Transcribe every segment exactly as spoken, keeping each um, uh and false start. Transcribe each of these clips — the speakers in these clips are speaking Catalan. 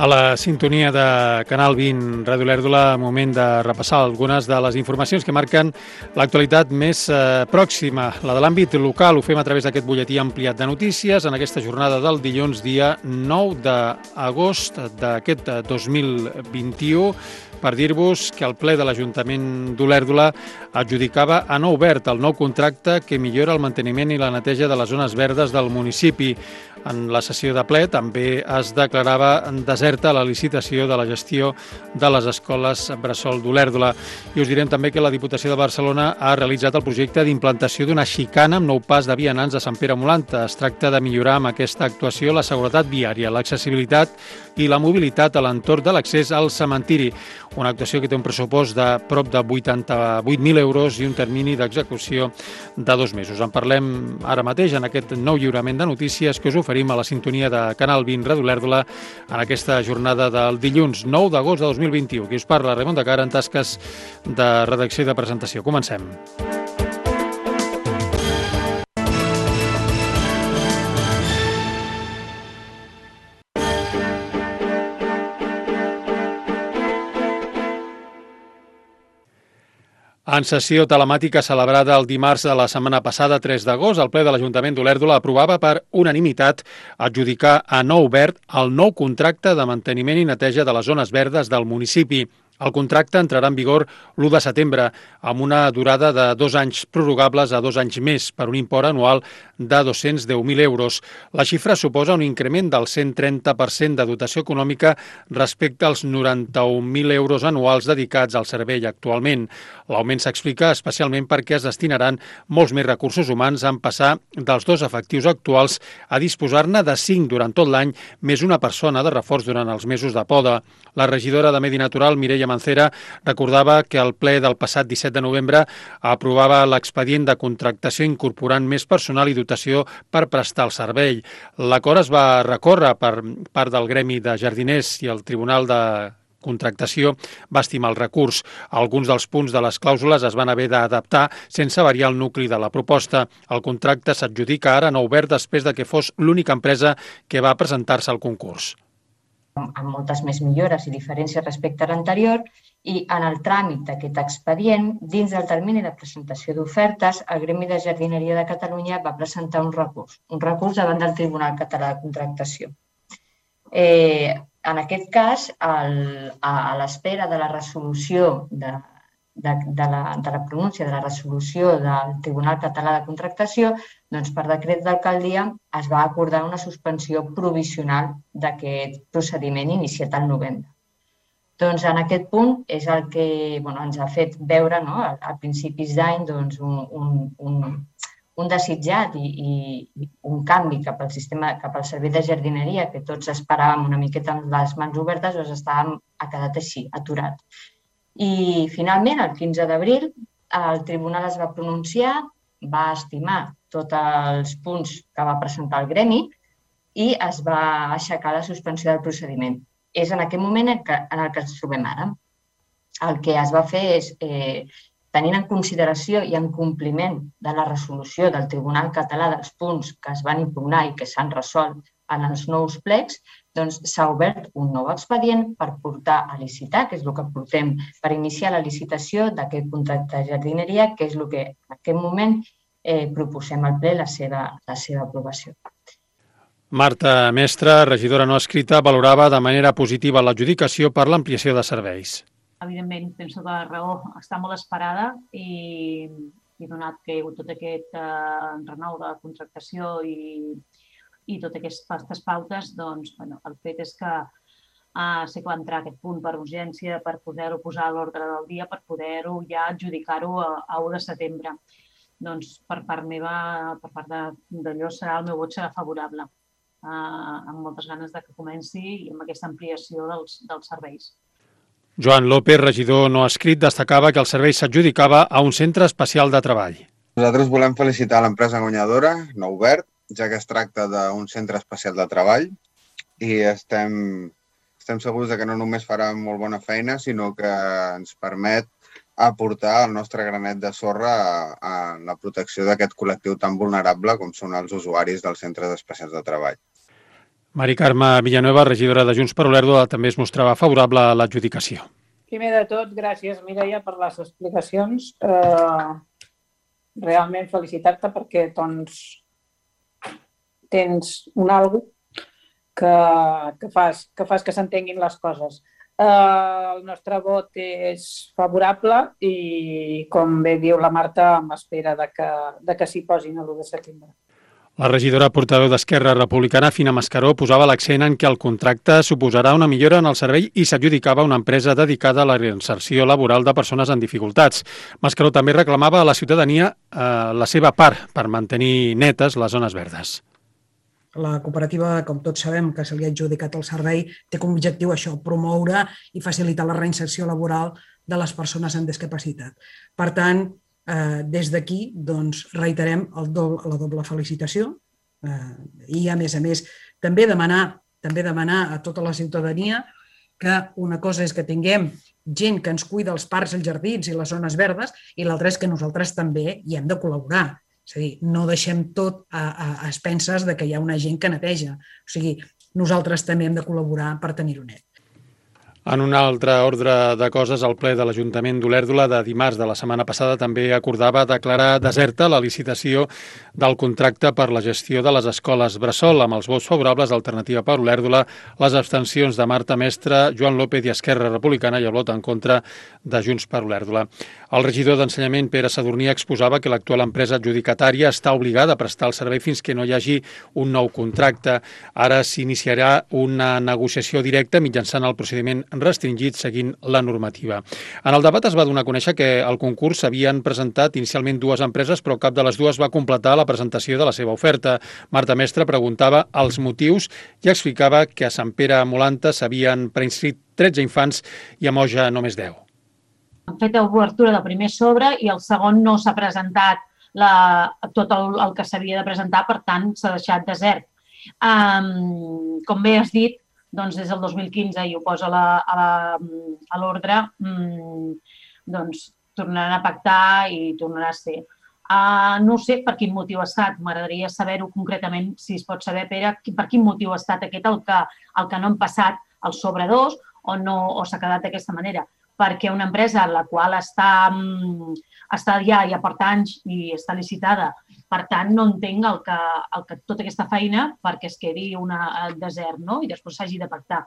A la sintonia de Canal vint, Ràdio Olèrdola, moment de repassar algunes de les informacions que marquen l'actualitat més eh, pròxima, la de l'àmbit local. Ho fem a través d'aquest butlletí ampliat de notícies en aquesta jornada del dilluns, dia nou d'agost d'aquest dos mil vint-i-u, per dir-vos que el ple de l'Ajuntament d'Olèrdola adjudicava a nou verd el nou contracte que millora el manteniment i la neteja de les zones verdes del municipi. En la sessió de ple també es declarava deserta la licitació de la gestió de les escoles bressol d'Olèrdola. I us direm també que la Diputació de Barcelona ha realitzat el projecte d'implantació d'una xicana amb nou pas de vianants a Sant Pere Molanta. Es tracta de millorar amb aquesta actuació la seguretat viària, l'accessibilitat i la mobilitat a l'entorn de l'accés al cementiri. Una actuació que té un pressupost de prop de vuitanta-vuit mil euros i un termini d'execució de dos mesos. En parlem ara mateix en aquest nou lliurament de notícies que us oferim a la sintonia de Canal vint, Ràdio Olèrdola, en aquesta jornada del dilluns nou d'agost de dos mil vint-i-u. Qui us parla, Raimon de Cara, en tasques de redacció i de presentació. Comencem. En sessió telemàtica celebrada el dimarts de la setmana passada, tres d'agost, el ple de l'Ajuntament d'Olèrdola aprovava per unanimitat adjudicar a Nou Verd el nou contracte de manteniment i neteja de les zones verdes del municipi. El contracte entrarà en vigor l'u de setembre, amb una durada de dos anys prorrogables a dos anys més, per un import anual de dos-cents deu mil euros. La xifra suposa un increment del cent trenta per cent de dotació econòmica respecte als noranta-un mil euros anuals dedicats al servei actualment. L'augment s'explica especialment perquè es destinaran molts més recursos humans en passar dels dos efectius actuals a disposar-ne de cinc durant tot l'any, més una persona de reforç durant els mesos de poda. La regidora de Medi Natural, Mireia Mancera, recordava que el ple del passat disset de novembre aprovava l'expedient de contractació incorporant més personal i dotació per prestar el servei. L'acord es va recórrer per part del Gremi de Jardiners i el Tribunal de Contractació va estimar el recurs. Alguns dels punts de les clàusules es van haver d'adaptar sense variar el nucli de la proposta. El contracte s'adjudica ara a Nou Verd després de que fos l'única empresa que va presentar-se al concurs. Amb moltes més millores i diferències respecte a l'anterior, i en el tràmit d'aquest expedient, dins del termini de presentació d'ofertes, el Gremi de Jardineria de Catalunya va presentar un recurs, un recurs davant del Tribunal Català de Contractació. Eh, en aquest cas, el, a, a l'espera de la resolució de, de, de, la, de la pronúncia de la resolució del Tribunal Català de Contractació, doncs per decret d'alcaldia es va acordar una suspensió provisional d'aquest procediment iniciat al novembre. Doncs en aquest punt és el que bueno, ens ha fet veure, no, a, a principis d'any doncs, un, un, un, un desitjat i, i un canvi cap al sistema, cap al servei de jardineria que tots esperàvem una miqueta amb les mans obertes, doncs estàvem, ha quedat així, aturat. I finalment, el quinze d'abril, el tribunal es va pronunciar, va estimar tots els punts que va presentar el gremi i es va aixecar la suspensió del procediment. És en aquest moment en, que, en el que ens trobem ara. El que es va fer és, eh, tenint en consideració i en compliment de la resolució del Tribunal Català dels punts que es van impugnar i que s'han resolt en els nous plecs, doncs s'ha obert un nou expedient per portar a licitar, que és el que portem per iniciar la licitació d'aquest contracte de jardineria, que és el que en aquest moment eh, proposem al ple la seva, la seva aprovació. Marta Mestre, regidora no escrita, valorava de manera positiva l'adjudicació per l'ampliació de serveis. Evidentment, penso que la raó està molt esperada i, i donat que hi ha hagut tot aquest eh, renou de contractació i, i totes aquestes pautes, doncs, bueno, el fet és que eh, sé que va entrar aquest punt per urgència per poder-ho posar a l'ordre del dia, per poder-ho ja adjudicar-ho a, a u de setembre. Doncs per part meva, per part d'allò, serà el meu vot serà favorable, eh, amb moltes ganes de que comenci i amb aquesta ampliació dels, dels serveis. Joan López, regidor no escrit, destacava que el servei s'adjudicava a un centre especial de treball. Nosaltres volem felicitar l'empresa guanyadora, Nou Verd, ja que es tracta d'un centre especial de treball i estem, estem segurs que no només farà molt bona feina, sinó que ens permet aportar el nostre granet de sorra a, a la protecció d'aquest col·lectiu tan vulnerable com són els usuaris dels centres especials de treball. Mari Carme Villanueva, regidora de Junts per Olèrdola, també es mostrava favorable a l'adjudicació. Primer de tot, gràcies, Mireia, per les explicacions. Eh, realment felicitar-te perquè doncs, tens un algo que, que, fas, que fas que s'entenguin les coses. Eh, el nostre vot és favorable i, com bé diu la Marta, m'espera de que, de que s'hi posin l'u de setembre. La regidora portaveu d'Esquerra Republicana, Fina Mascaró, posava l'accent en que el contracte suposarà una millora en el servei i s'adjudicava una empresa dedicada a la reinserció laboral de persones en dificultats. Mascaró també reclamava a la ciutadania eh, la seva part per mantenir netes les zones verdes. La cooperativa, com tots sabem, que se li ha adjudicat el servei, té com a objectiu això, promoure i facilitar la reinserció laboral de les persones amb discapacitat. Per tant, eh, des d'aquí doncs, reiterem el do, la doble felicitació eh, i, a més a més, també demanar, també demanar a tota la ciutadania que una cosa és que tinguem gent que ens cuida els parcs, els jardins i les zones verdes i l'altra és que nosaltres també hi hem de col·laborar. És a dir, no deixem tot a, a, a expenses de que hi ha una gent que neteja. O sigui, nosaltres també hem de col·laborar per tenir-ho net. En un altre ordre de coses, el ple de l'Ajuntament d'Olèrdola de dimarts de la setmana passada també acordava declarar deserta la licitació del contracte per la gestió de les escoles bressol, amb els vots favorables d'Alternativa per Olèrdola, les abstencions de Marta Mestre, Joan López i Esquerra Republicana i el vot en contra de Junts per Olèrdola. El regidor d'Ensenyament, Pere Sadurní, exposava que l'actual empresa adjudicatària està obligada a prestar el servei fins que no hi hagi un nou contracte. Ara s'iniciarà una negociació directa mitjançant el procediment restringit seguint la normativa. En el debat es va donar a conèixer que al concurs s'havien presentat inicialment dues empreses, però cap de les dues va completar la presentació de la seva oferta. Marta Mestre preguntava els motius i explicava que a Sant Pere Molanta s'havien preinscrit tretze infants i a Moja només deu. Han fet l'obertura del primer sobre i el segon no s'ha presentat la, tot el, el que s'havia de presentar, per tant s'ha deixat desert. Um, com bé has dit, doncs des del dos mil quinze i ho posa a l'ordre, doncs tornaran a pactar i tornarà a ser. Uh, no sé per quin motiu ha estat, m'agradaria saber-ho concretament, si es pot saber, Pere, per quin motiu ha estat aquest el que, el que no han passat el sobre dos o, no, o s'ha quedat d'aquesta manera. Perquè una empresa la qual està, està ja, ja per anys i està licitada, per tant, no entenc el que, el que, tota aquesta feina perquè es quedi una desert, no? I després s'hagi de pactar.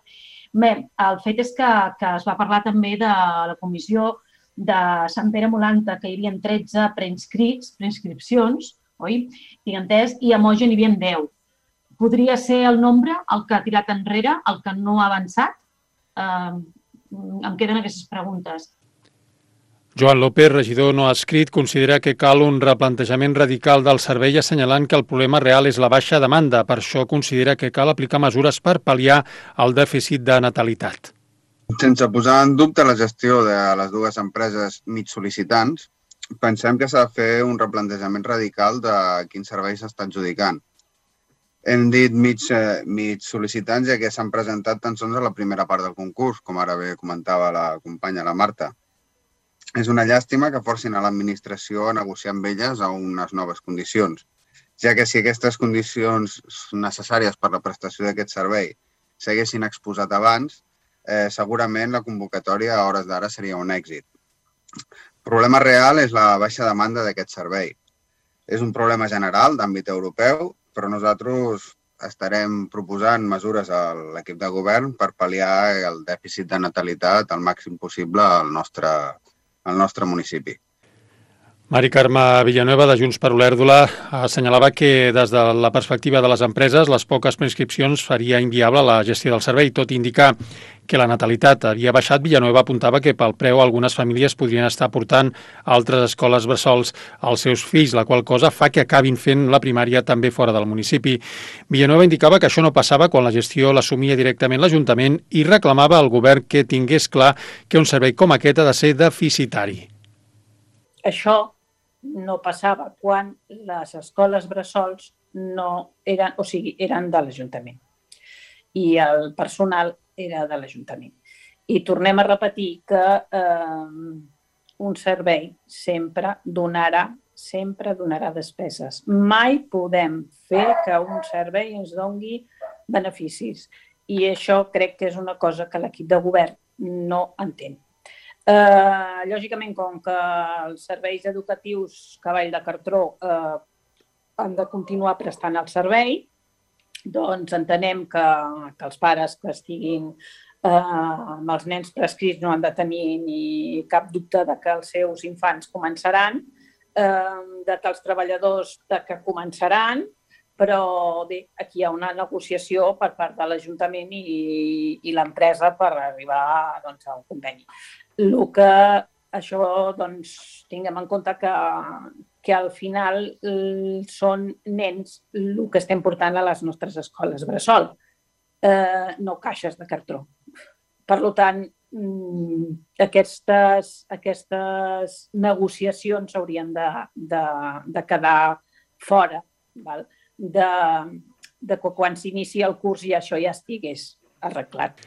Bé, el fet és que, que es va parlar també de la comissió de Sant Pere Molanta, que hi havia tretze preinscrits, preinscripcions, oi? Tinc entès, i a Moja n'hi havia deu. Podria ser el nombre el que ha tirat enrere, el que no ha avançat? Eh, em queden aquestes preguntes. Joan López, regidor no adscrit, considera que cal un replantejament radical del servei assenyalant que el problema real és la baixa demanda. Per això considera que cal aplicar mesures per pal·liar el dèficit de natalitat. Sense posar en dubte la gestió de les dues empreses mig sol·licitants, pensem que s'ha de fer un replantejament radical de quin servei s'està adjudicant. Hem dit mig, mig sol·licitants ja que s'han presentat tan sols a la primera part del concurs, com ara bé comentava la companya, la Marta. És una llàstima que forcin a l'administració a negociar amb elles a unes noves condicions, ja que si aquestes condicions necessàries per la prestació d'aquest servei s'haguessin exposat abans, eh, segurament la convocatòria a hores d'ara seria un èxit. El problema real és la baixa demanda d'aquest servei. És un problema general d'àmbit europeu, però nosaltres estarem proposant mesures a l'equip de govern per pal·liar el dèficit de natalitat al màxim possible al nostre, al nostre municipi. Mari Carme Villanueva, de Junts per Olèrdola, assenyalava que des de la perspectiva de les empreses les poques preinscripcions faria inviable la gestió del servei. Tot i indicar que la natalitat havia baixat, Villanueva apuntava que pel preu algunes famílies podrien estar portant a altres escoles bressols als seus fills, la qual cosa fa que acabin fent la primària també fora del municipi. Villanueva indicava que això no passava quan la gestió l'assumia directament l'Ajuntament i reclamava al govern que tingués clar que un servei com aquest ha de ser deficitari. Això no passava quan les escoles bressols no eren, o sigui, eren de l'Ajuntament i el personal era de l'Ajuntament. I tornem a repetir que eh, un servei sempre donarà, sempre donarà despeses. Mai podem fer que un servei ens doni beneficis. I això crec que és una cosa que l'equip de govern no entén. Eh, lògicament, com que els serveis educatius Cavall de Cartró eh, han de continuar prestant el servei, doncs entenem que, que els pares que estiguin eh, amb els nens prescrits no han de tenir ni cap dubte de que els seus infants començaran, eh, de que els treballadors de que començaran, però bé, aquí hi ha una negociació per part de l'Ajuntament i, i l'empresa per arribar doncs, a un conveni. El que això, doncs, tinguem en compte que, que al final són nens el que estem portant a les nostres escoles bressol, eh, no caixes de cartró. Per tant, aquestes, aquestes negociacions haurien de, de, de quedar fora, val? De, de que quan s'inicia el curs ja això ja estigués arreglat.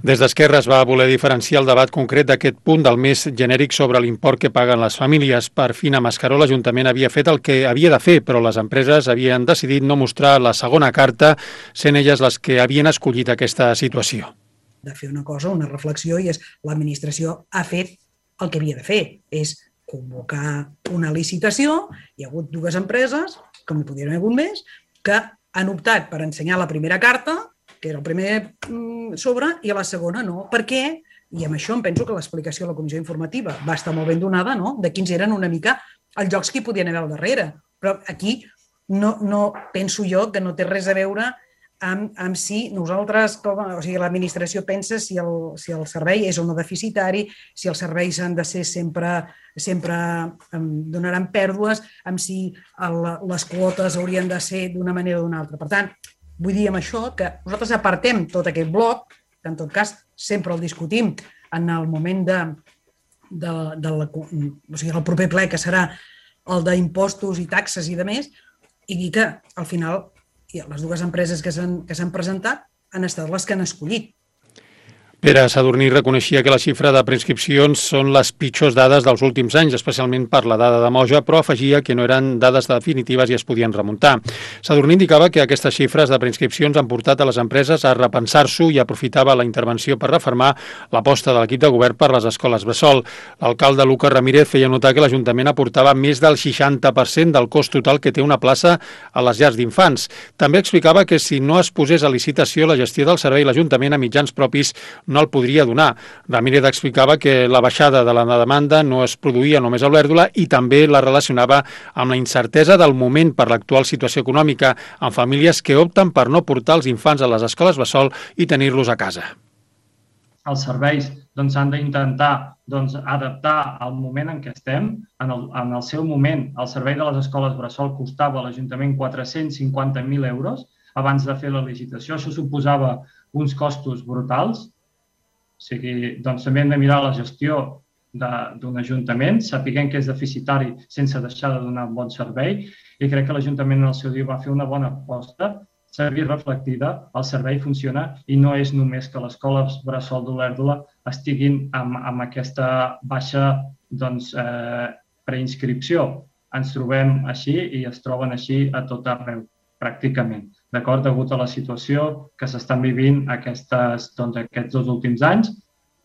Des d'Esquerra es va voler diferenciar el debat concret d'aquest punt del més genèric sobre l'import que paguen les famílies. Per Fina Mascaró, l'Ajuntament havia fet el que havia de fer, però les empreses havien decidit no mostrar la segona carta, sent elles les que havien escollit aquesta situació. De fer una cosa, una reflexió, i és l'administració ha fet el que havia de fer, és convocar una licitació. Hi ha hagut dues empreses, com hi podien haver hagut més, que han optat per ensenyar la primera carta, que era el primer sobre, i a la segona no. Per què? I amb això em penso que l'explicació de la comissió informativa va estar molt ben donada, no?, de quins eren una mica els jocs que hi podien haver al darrere. Però aquí no, no penso jo que no té res a veure amb, amb si nosaltres, com, o sigui, l'administració pensa si el, si el servei és o no deficitari, si els serveis han de ser sempre, sempre um, donaran pèrdues, amb si el, les quotes haurien de ser d'una manera o d'una altra. Per tant, vull dir amb això que nosaltres apartem tot aquest bloc, que en tot cas sempre el discutim en el moment de, de, de la, o sigui, el proper ple, que serà el d'impostos i taxes i de més, i dir que al final les dues empreses que s'han que s'han presentat han estat les que han escollit. Pere Sadurní reconeixia que la xifra de preinscripcions són les pitjors dades dels últims anys, especialment per la dada de Moja, però afegia que no eren dades definitives i es podien remuntar. Sadurní indicava que aquestes xifres de preinscripcions han portat a les empreses a repensar-s'ho i aprofitava la intervenció per refermar l'aposta de l'equip de govern per les escoles bressol. L'alcalde Lucas Ramírez feia notar que l'Ajuntament aportava més del seixanta per cent del cost total que té una plaça a les llars d'infants. També explicava que si no es posés a licitació la gestió del servei, l'Ajuntament a mitjans propis no el podria donar. Ramírez explicava que la baixada de la demanda no es produïa només a Olèrdola i també la relacionava amb la incertesa del moment per l'actual situació econòmica, amb famílies que opten per no portar els infants a les escoles bressol i tenir-los a casa. Els serveis doncs, han d'intentar doncs, adaptar al moment en què estem. En el, en el seu moment, el servei de les escoles bressol costava a l'Ajuntament quatre-cents cinquanta mil euros abans de fer la licitació. Això suposava uns costos brutals. O sigui, doncs també hem de mirar la gestió d'un ajuntament, sapiguem que és deficitari sense deixar de donar un bon servei, i crec que l'Ajuntament en el seu dia va fer una bona aposta, s'ha vist reflectida, el servei funciona i no és només que les escoles bressol d'Olèrdola estiguin amb, amb aquesta baixa doncs, eh, preinscripció. Ens trobem així i es troben així a tot arreu, pràcticament. D'acord, degut a la situació que s'estan vivint aquestes, doncs, aquests dos últims anys,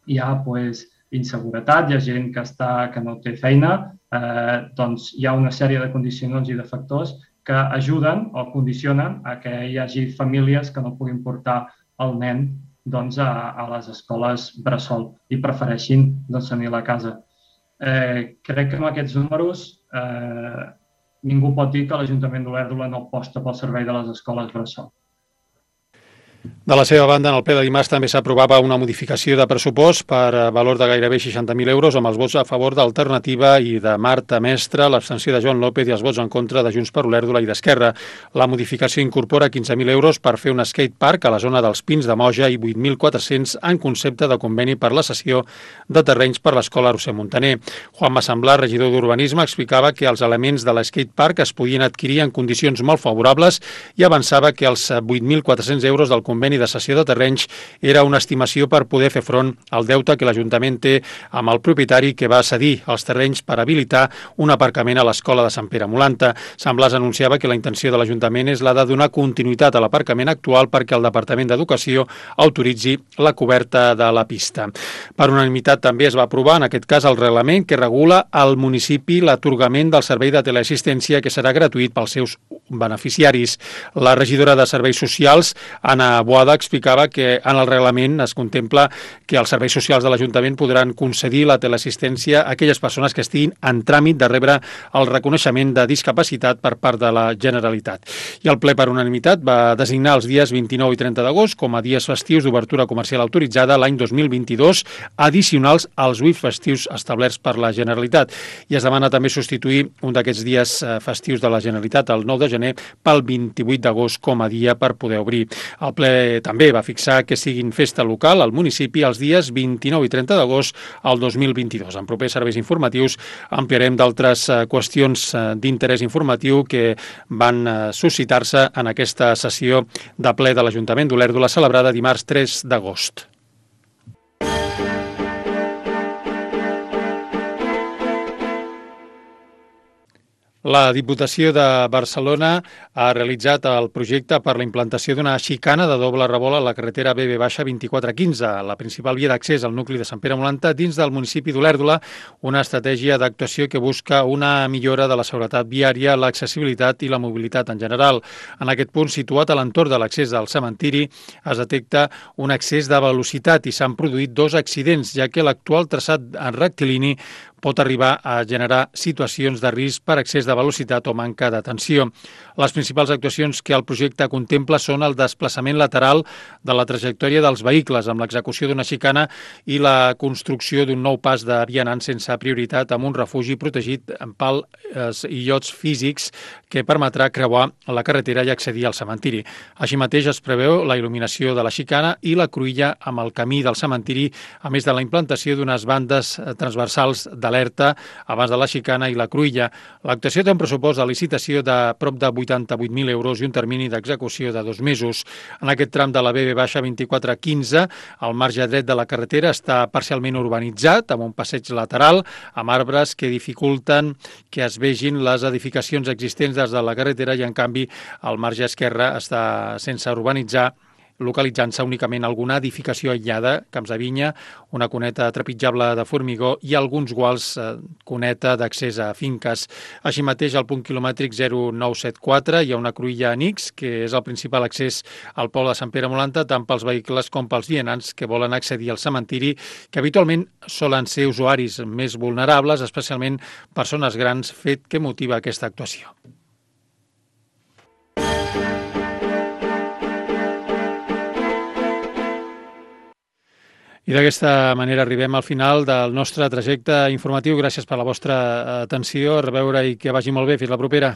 hi ha pues, inseguretat, hi ha gent que, està, que no té feina, eh, doncs hi ha una sèrie de condicionants i de factors que ajuden o condicionen a que hi hagi famílies que no puguin portar el nen doncs, a, a les escoles bressol i prefereixin doncs, tenir-la a casa. Eh, crec que amb aquests números eh, ningú pot dir que l'Ajuntament d'Olèrdola no aposta pel servei de les escoles bressol. De la seva banda, en el ple de dimarts també s'aprovava una modificació de pressupost per valor de gairebé seixanta mil euros amb els vots a favor d'Alternativa i de Marta Mestre, l'abstenció de Joan López i els vots en contra de Junts per Olèrdola i d'Esquerra. La modificació incorpora quinze mil euros per fer un skatepark a la zona dels Pins de Moja i vuit mil quatre-cents en concepte de conveni per la cessió de terrenys per l'escola Roser Montaner. Juan Massamblar, regidor d'Urbanisme, explicava que els elements de l'skatepark es podien adquirir en condicions molt favorables i avançava que els vuit mil quatre-cents euros del conveni conveni de cessió de terrenys era una estimació per poder fer front al deute que l'Ajuntament té amb el propietari que va cedir els terrenys per habilitar un aparcament a l'Escola de Sant Pere Molanta. Sant Blas anunciava que la intenció de l'Ajuntament és la de donar continuïtat a l'aparcament actual perquè el Departament d'Educació autoritzi la coberta de la pista. Per unanimitat també es va aprovar, en aquest cas, el reglament que regula al municipi l'atorgament del servei de teleassistència que serà gratuït pels seus beneficiaris. La regidora de Serveis Socials, Anna Boada, explicava que en el reglament es contempla que els serveis socials de l'Ajuntament podran concedir la teleassistència a aquelles persones que estiguin en tràmit de rebre el reconeixement de discapacitat per part de la Generalitat. I el ple per unanimitat va designar els dies vint-i-nou i trenta d'agost com a dies festius d'obertura comercial autoritzada l'any dos mil vint-i-dos, addicionals als vuit festius establerts per la Generalitat. I es demana també substituir un d'aquests dies festius de la Generalitat, el nou de gener, pel vint-i-vuit d'agost com a dia per poder obrir. El ple també va fixar que siguin festa local al municipi els dies vint-i-nou i trenta d'agost al dos mil vint-i-dos. En propers serveis informatius ampliarem d'altres qüestions d'interès informatiu que van suscitar-se en aquesta sessió de ple de l'Ajuntament d'Olèrdola celebrada dimarts tres d'agost. La Diputació de Barcelona ha realitzat el projecte per la implantació d'una xicana de doble revolt a la carretera B B vint-i-quatre quinze, la principal via d'accés al nucli de Sant Pere Molanta dins del municipi d'Olèrdola, una estratègia d'actuació que busca una millora de la seguretat viària, l'accessibilitat i la mobilitat en general. En aquest punt, situat a l'entorn de l'accés al cementiri, es detecta un excés de velocitat i s'han produït dos accidents, ja que l'actual traçat rectilini pot arribar a generar situacions de risc per excés de velocitat o manca d'atenció. Les principals actuacions que el projecte contempla són el desplaçament lateral de la trajectòria dels vehicles amb l'execució d'una xicana i la construcció d'un nou pas de vianants sense prioritat amb un refugi protegit amb pals i llots físics que permetrà creuar la carretera i accedir al cementiri. Així mateix es preveu la il·luminació de la xicana i la cruïlla amb el camí del cementiri, a més de la implantació d'unes bandes transversals d'alerta abans de la xicana i la cruïlla. L'actuació té un pressupost de licitació de prop de vuitanta-vuit mil euros i un termini d'execució de dos mesos. En aquest tram de la B B vint-i-quatre quinze, el marge dret de la carretera està parcialment urbanitzat, amb un passeig lateral, amb arbres que dificulten que es vegin les edificacions existents des de la carretera i, en canvi, el marge esquerre està sense urbanitzar, localitzant-se únicament alguna edificació aïllada, camps de vinya, una cuneta trepitjable de formigó i alguns guals eh, cuneta d'accés a finques. Així mateix, al punt quilomètric zero nou set quatre hi ha una cruïlla annex, que és el principal accés al poble de Sant Pere Molanta, tant pels vehicles com pels vianants que volen accedir al cementiri, que habitualment solen ser usuaris més vulnerables, especialment persones grans, fet que motiva aquesta actuació. I d'aquesta manera arribem al final del nostre trajecte informatiu. Gràcies per la vostra atenció. A reveure i que vagi molt bé. Fins la propera.